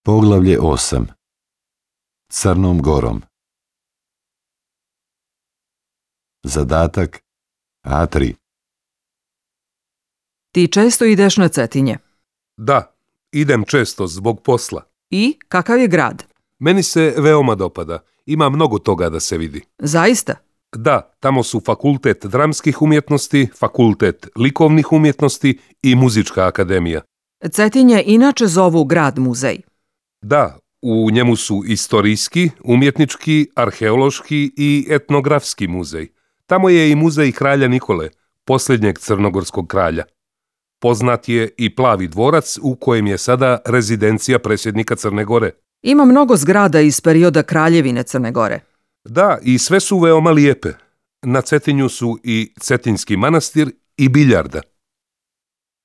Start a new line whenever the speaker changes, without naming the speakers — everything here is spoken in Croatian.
Poglavlje 8. Crnom Gorom. Zadatak A3.
Ti često ideš na Cetinje.
Da, idem često zbog posla.
I kakav je grad?
Meni se veoma dopada. Ima mnogo toga da se vidi.
Zaista?
Da, tamo su fakultet dramskih umjetnosti, fakultet likovnih umjetnosti i muzička akademija.
Cetinje inače zovu grad muzej.
Da, u njemu su istorijski, umjetnički, arheološki i etnografski muzej. Tamo je i muzej kralja Nikole, posljednjeg crnogorskog kralja. Poznat je i Plavi dvorac u kojem je sada rezidencija predsjednika Crne Gore.
Ima mnogo zgrada iz perioda Kraljevine Crne Gore.
Da, i sve su veoma lijepe. Na Cetinju su i Cetinski manastir i biljarda.